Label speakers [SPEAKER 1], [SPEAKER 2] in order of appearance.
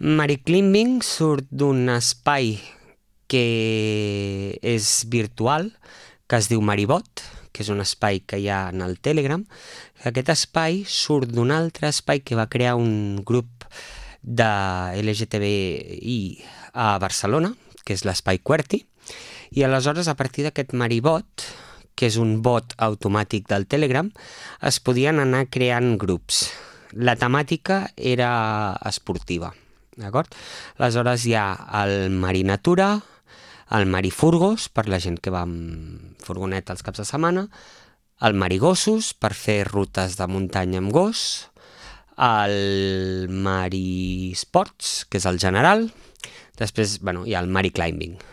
[SPEAKER 1] Mariclimbing surt d'un espai que és virtual, que es diu Maribot, que és un espai que hi ha en el Telegram. Aquest espai surt d'un altre espai que va crear un grup de LGTBI a Barcelona, que és l'espai QWERTY, i aleshores a partir d'aquest Maribot, que és un bot automàtic del Telegram, es podien anar creant grups. La temàtica era esportiva, d'acord? Aleshores hi ha el Marinatura, el Marifurgos, per la gent que va amb furgoneta els caps de setmana, el Marigossos, per fer rutes de muntanya amb gos, el Marisports, que és el general, després hi ha el Mariclimbing.